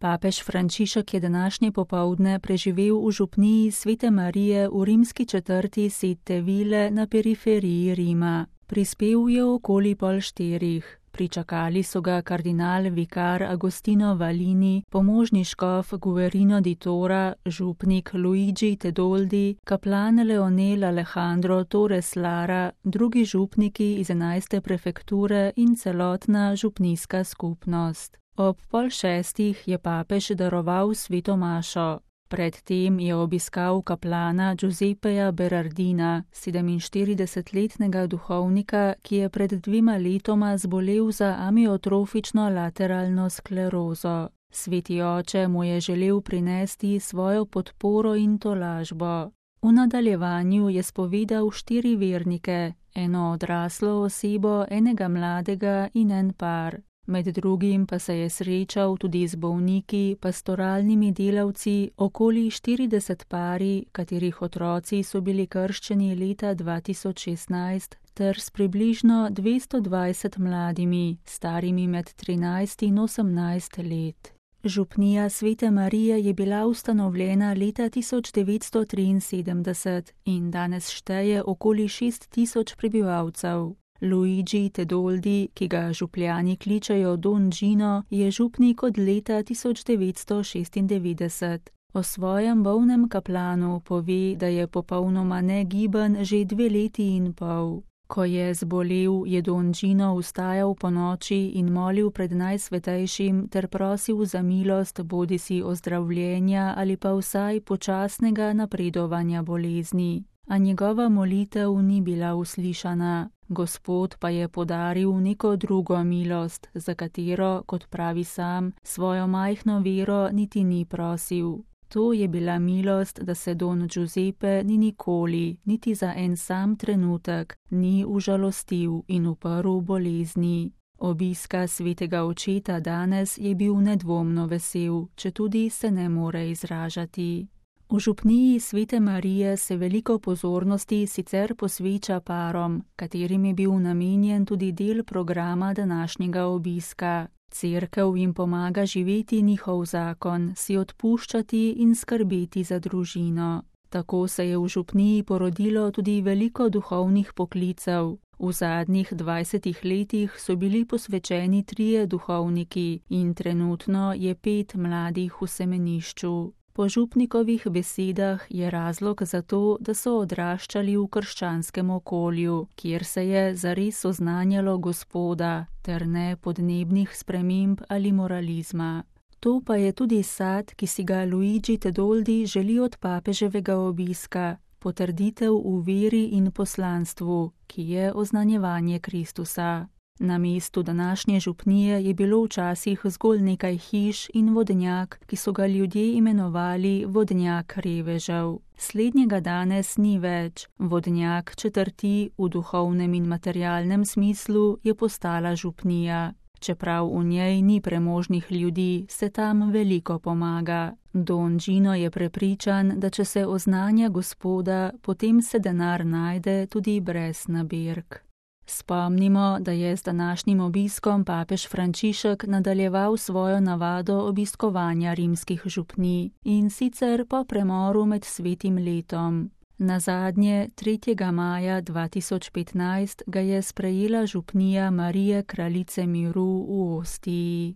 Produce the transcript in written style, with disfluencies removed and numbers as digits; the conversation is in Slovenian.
Papež Frančišek je današnje popoldne preživel v župniji Svete Marije v rimski četrti Sette Ville na periferiji Rima. Prispel je okoli 3:30. Pričakali so ga kardinal vikar Agostino Valini, pomožni škof Guerino di Tora, župnik Luigi Tedoldi, kaplan Leonel Alejandro Torres Lara, drugi župniki iz 11. prefekture in celotna župnijska skupnost. Ob 5:30 je papež daroval sveto mašo. Predtem je obiskal kaplana Giuseppeja Berardina, 47-letnega duhovnika, ki je pred 2 letoma zbolel za amiotrofično lateralno sklerozo. Sveti oče mu je želel prinesti svojo podporo in tolažbo. V nadaljevanju je spovedal 4 vernike, eno odraslo osebo, enega mladega in en par. Med drugim pa se je srečal tudi z bolniki, pastoralnimi delavci, okoli 40 pari, katerih otroci so bili krščeni leta 2016, ter s približno 220 mladimi, starimi med 13 in 18 let. Župnija Svete Marije je bila ustanovljena leta 1973 in danes šteje okoli 6.000 prebivalcev. Luigi Tedoldi, ki ga župljani kličejo Don Gino, je župnik od leta 1996. O svojem bolnem kaplanu pove, da je popolnoma negiben že 2 leti in pol. Ko je zbolel, je Don Gino vstajal ponoči in molil pred Najsvetejšim ter prosil za milost bodisi ozdravljenja ali pa vsaj počasnega napredovanja bolezni. A njegova molitev ni bila uslišana. Gospod pa je podaril neko drugo milost, za katero, kot pravi sam, svojo majhno vero niti ni prosil. To je bila milost, da se Don Giuseppe ni nikoli, niti za en sam trenutek, ni užalostil in uprl bolezni. Obiska svetega očeta danes je bil nedvomno vesel, četudi se ne more izražati. V župniji Svete Marije se veliko pozornosti sicer posveča parom, katerim je bil namenjen tudi del programa današnjega obiska. Cerkev jim pomaga živeti njihov zakon, si odpuščati in skrbeti za družino. Tako se je v župniji porodilo tudi veliko duhovnih poklicev. V zadnjih 20 letih so bili posvečeni 3 duhovniki in trenutno je 5 mladih v semenišču. Po župnikovih besedah je razlog za to, da so odraščali v krščanskem okolju, kjer se je zares oznanjalo Gospoda, ter ne podnebnih sprememb ali moralizma. To pa je tudi sad, ki si ga Luigi Tedoldi želi od papeževega obiska, potrditev v veri in poslanstvu, ki je oznanjevanje Kristusa. Na mestu današnje župnije je bilo včasih zgolj nekaj hiš in vodnjak, ki so ga ljudje imenovali vodnjak revežev. Slednjega danes ni več. Vodnjak četrti v duhovnem in materialnem smislu je postala župnija. Čeprav v njej ni premožnih ljudi, se tam veliko pomaga. Don Gino je prepričan, da če se oznanja Gospoda, potem se denar najde tudi brez nabirk. Spomnimo, da je z današnjim obiskom papež Frančišek nadaljeval svojo navado obiskovanja rimskih župnij in sicer po premoru med svetim letom. Nazadnje 3. maja 2015 ga je sprejela župnija Marije Kraljice miru v Ostiji.